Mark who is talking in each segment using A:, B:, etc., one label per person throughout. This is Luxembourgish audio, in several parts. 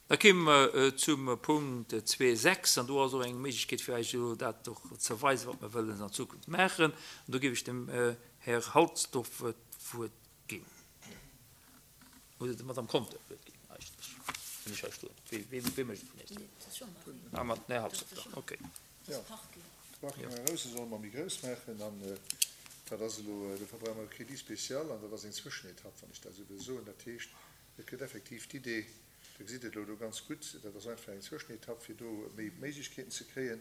A: Da kéime mer zum Punkt 2.6, an do ass och eng Méiglechkeet fir eis elo dat och ze weisen, wat mer wëllen an Zukunft maachen. An do géif ech dem Här Halsdorf d'Wuert ginn, oder der Madame Conter d'Wuert ginn eigentlech, wann ech hei stoen. Wee mécht et vun Iech zwou? Ah, mat den Här Halsdorf dann, okay.
B: Jo, de Parking am Grousse solle mer méi grouss maachen an dat ass elo, dofir brauche mer e Crédit spécial an dat ass eng Zwëschenetapp, wann ech dat esou wëll soen. Dat heescht, et gëtt effektiv d'Idee, Der gesitt et elo do ganz gutt, dat ass einfach eng Zwëschenetapp, fir do méi Méiglechkeeten ze kréien.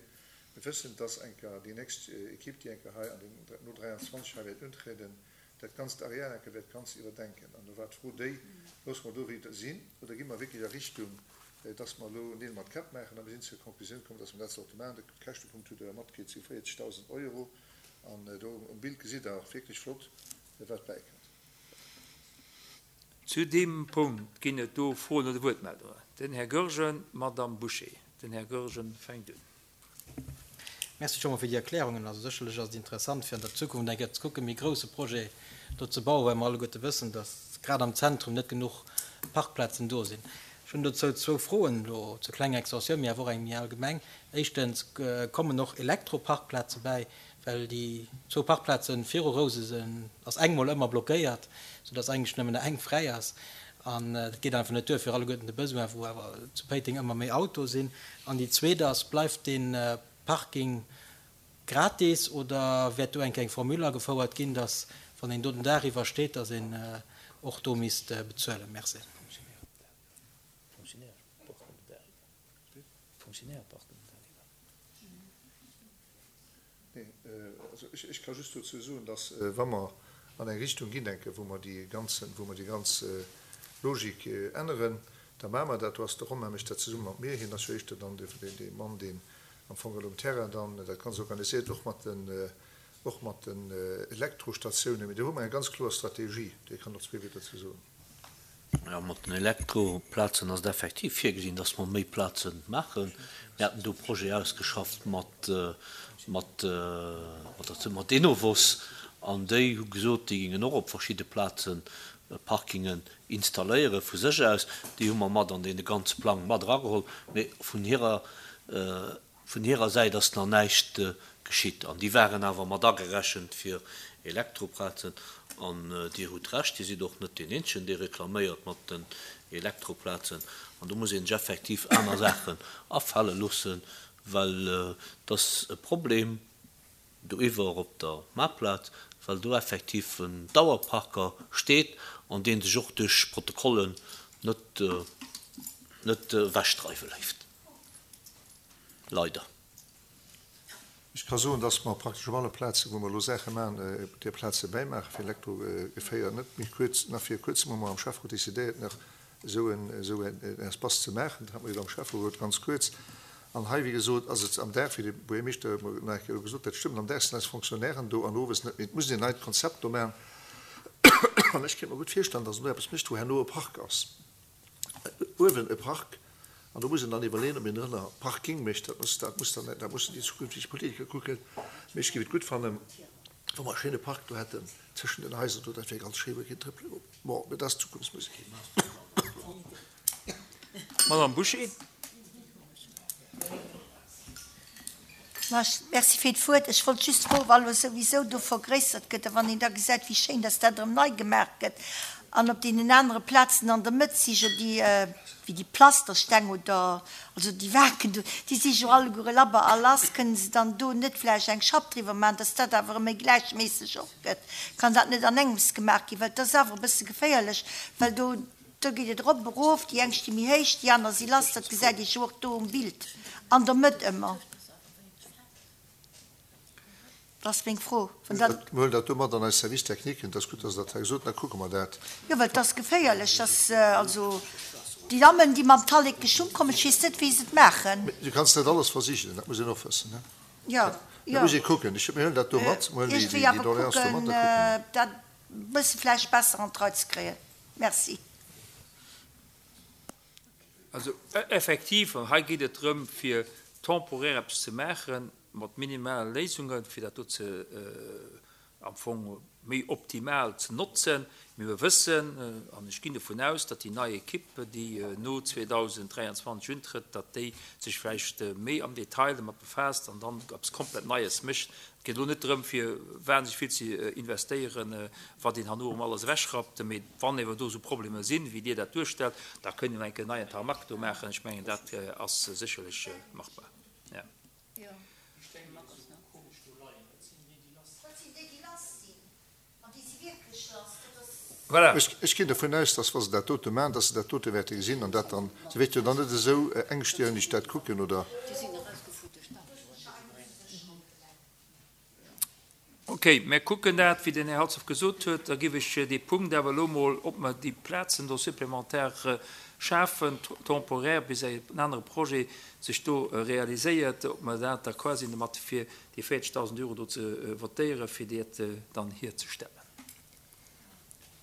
B: Mir wëssen, dass eng Kéier déi nächst Equipe, déi eng Kéier hei an den, no 23 hei wäert untrieden, dat ganzt Areal eng Kéier wäert ganz iwwerdenken. An do war d'Fro déi, Loosse mer do wéi et sinn oder gi mer wierklech a Richtung, dass mer elo Neel mat Käpp maachen? A mir sinn zur Konklusioun komm, dass mer dat sollte maachen. De Käschtepunkt hutt Der jo matkritt, si 40.000 Euro. An do um Bild gesitt Der och wierklech flott, wat bäikënnt.
A: Zu deem Punkt ginn et do Froen oder Wuertmeldungen. Den Här Goergen, d'Madame Bouché. Den Här Goergen fänkt un.
C: Merci scho mol fir déi Erklärungen. Also sécherlech ass et interessant fir an der Zukunft eng Kéier ze kucken, méi grousse Projet do ze bauen, well mer alleguerte wëssen, dass grad am Zentrum net genuch Parkplazen do sinn. Ech hunn dozou zwou Froen elo, zur klenger Extensioun, mee awer och eng méi allgemeng. Éischtens, kommen och Elektroparkplaze bäi? Well déi zwou Parkplazen viru Rousesen ass eng mol ëmmer blockéiert, sou dass eigentlech nëmmen nach eng fräi ass. An dat geet einfach net duer fir alleguerten de Besoin, wou awer zu Péiteng ëmmer méi Autoe sinn. An déi zweet ass, Bleift dee Parking gratis oder wäert do eng Kéier eng Formule agefouert ginn, dass wann een do den Dag iwwer steet, dass een och do misst bezuelen? Merci.
B: Nee, also ech ka just dozou soen, dass, wa mer an eng Richtung ginn, denken, wou mer déi ganzen, wou mer déi ganz Logik änneren, da maache mer dat. Do ass de Romain mécht dat zesumme mat mir. Hien ass jo éischter dann dee Mann, deen am Fong elo um Terrain dann dat Ganzt organisiert, och mat den, och mat den Elektrostatiounen. Mee do hu mer eng ganz kloer Strategie. Dee kann och zwee Wierder dozou soen.
D: Jo, mat den Elektroplazen ass et effektiv virgesinn, dass mer méi Plaze maachen. Mir haten do e Projet ausgeschafft mat, mat, mat Enovos an déi hu gesot, déi géingen och op verschidde Plaze Parkingen installéiere vu sech aus. Déi hu mer mat an dee ganze Plang mat erageholl. Mee vun hirer Vun hirer Säit ass nach näischt geschitt an déi waren awer mat agerechent fir Elektroplazen. An Dir hutt Recht, Dir sidd och net deen Eenzegen, dee reklaméiert mat den Elektroplazen. An do muss ee sech effektiv aner Saachen afale loossen, well et ass e Problem doiwwer op der Maartplaz, well do effektiv en Dauerparker steet an dee sech och duerch Protokollen net net ewechdreiwe léisst. Leider.
B: Ech ka soen, dass mer praktesch op alle Plazen, wou mer elo Saache maachen, där Plaze bäimaache fir Elektrogeféier. Net méi kuerz, nach vir kuerzem hu mer am Schäfferot decidéiert, nach esou en, esou en Espace ze maachen. Dat hat mer jo am Schäfferot ganz kuerz. An hei, wéi gesot, ass et am Dag, wéi de Buergermeeschter mer nach eng Kéier elo gesot huet, stëmmt, am Dag sinn eis Fonctionnairen do an owes net méi. Et muss een en neit Konzept do maachen. An ech kéint mer gutt virstellen, dass een do eppes mécht, wou herno e Park ass. Uewen e Park, an do muss een dann iwwerleeën, ob een drënner Parking mécht. Dat muss, dat muss dann, dat mussen déi zukünfteg Politiker kucken. Mee ech géif et gutt fannen, wa mer e schéine Park do hätten tëschent den Haiser do. Dat wär ganz schéi, wou ee kéint trëppele goen. Bon, mee dat ass Zukunftsmusek.
A: Madame Bouché.
E: Merci fir d'Wuert. Ech wollt just froen, wa lo souwisou do vergréissert gëtt a wann een da gesäit, wéi schéin dass dat erëm nei gemaach gëtt an op deenen anere Plazen an der Mëtt si jo déi, wéi déi Plastersteng oder also déi Waken do, déi si jo alleguere labber a lass, kënnen se dann do net vläicht eng Schapp driwwer maachen, dass dat awer erëm méi gläichméisseg och gëtt? Kann dat net an engems gemaach ginn? Well et ass awer e bësse geféierlech, well do Do geet et erop, erof, déi eng sti méi héich, déi aner si lass, dat gesäit ee jo och do um Bild an der Mëtt ëmmer. Dat ass meng Fro.
B: Wann dat. Mir huelen dat do mat an eis Service techniquen. Et ass gutt, dass Der dat hei gesot hutt, da kucke mer dat.
E: Jo, well et ass geféierlech, dass also déi Dammen, déi mam Tallek geschwunn kommen, ech weess net, wéi se et maachen.
B: Mee du kanns net alles versichelen, dat muss een och wëssen, ne?
E: Jo, jo.
B: Dat muss ee kucken. Ech, mir huelen dat do mat, mir huelen déi
E: Iergendwéi awer
B: Doléance do mat,
E: kucken,
B: da kucke mer.
E: dat e bësse vläicht besser an d'Rei ze kréien. Merci.
A: Also effektiv, an hei geet et drëm, fir temporaire eppes ze maache mat minimale Léisungen, fir dat do ze. Am Fong méi optimal ze notzen. Mee mir wëssen, an ech ginn dovun aus, datt déi nei Equipe, déi no 2023 untrëtt, datt déi sech vläicht méi am Detail domat befaasst an dann eppes komplett Neies mécht. Et geet elo net drëm, fir wahnsinneg vill ze investéieren, wat een herno erëm alles ewechrappt. Mee wann ewer do esou Problemer sinn, wéi Dir dat duerstellt, da kënne mir eng Kéier en neien Tarmac do maachen. Ech mengen, dat ass sécherlech machbar.
F: Jo. Déi Steng déi esou komesch do leien, dat sinn déi déi lass sinn.
E: Dat sinn déi déi lass sinn. An déi si wierklech lass. Dat ass.
A: Voilà.
B: Ech ginn dervun aus, dass wa se dat dote maachen, dass se dat dote wäerte gesinn an dat dann, se wäerte jo dann net esou engstirneg dat kucken, oder?
F: Déi sinn erausgefuer duerch d'Autoen.
A: Ok, mir kucken dat, wéi den Här Halsdorf gesot huet. Da géif ech dee Punkt awer elo mol, ob mer déi Plazen do supplémentaire schafen, temporaire, bis en anere Projet sech do realiséiert, ob mer dat da quasi domat fir déi 40.000 Euro do ze votéieren, fir dat dann hierzestellen.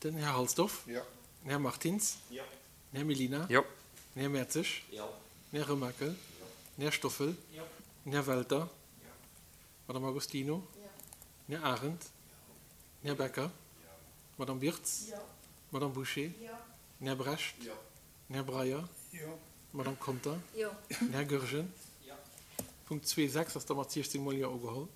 G: Den Här Halsdorf.
B: Jo.
G: Den Här Martins.
A: Jo.
G: Den Här Mellina.
A: Jo.
G: Den Här Mertzig.
D: Jo.
G: Den Här Remakel.
D: Jo.
G: Den Här Stoffel.
A: Jo.
G: Den Här Welter. Madame Agostino. Den Här Arendt. Den Här Becker. D'Madame Wirtz. D'Madame Bouché. Den Här Brecht. Den Här Breyer. D'Madame Conter. Den Här Goergen. Punkt 2.6 ass da mat 16 mol Jo ugeholl.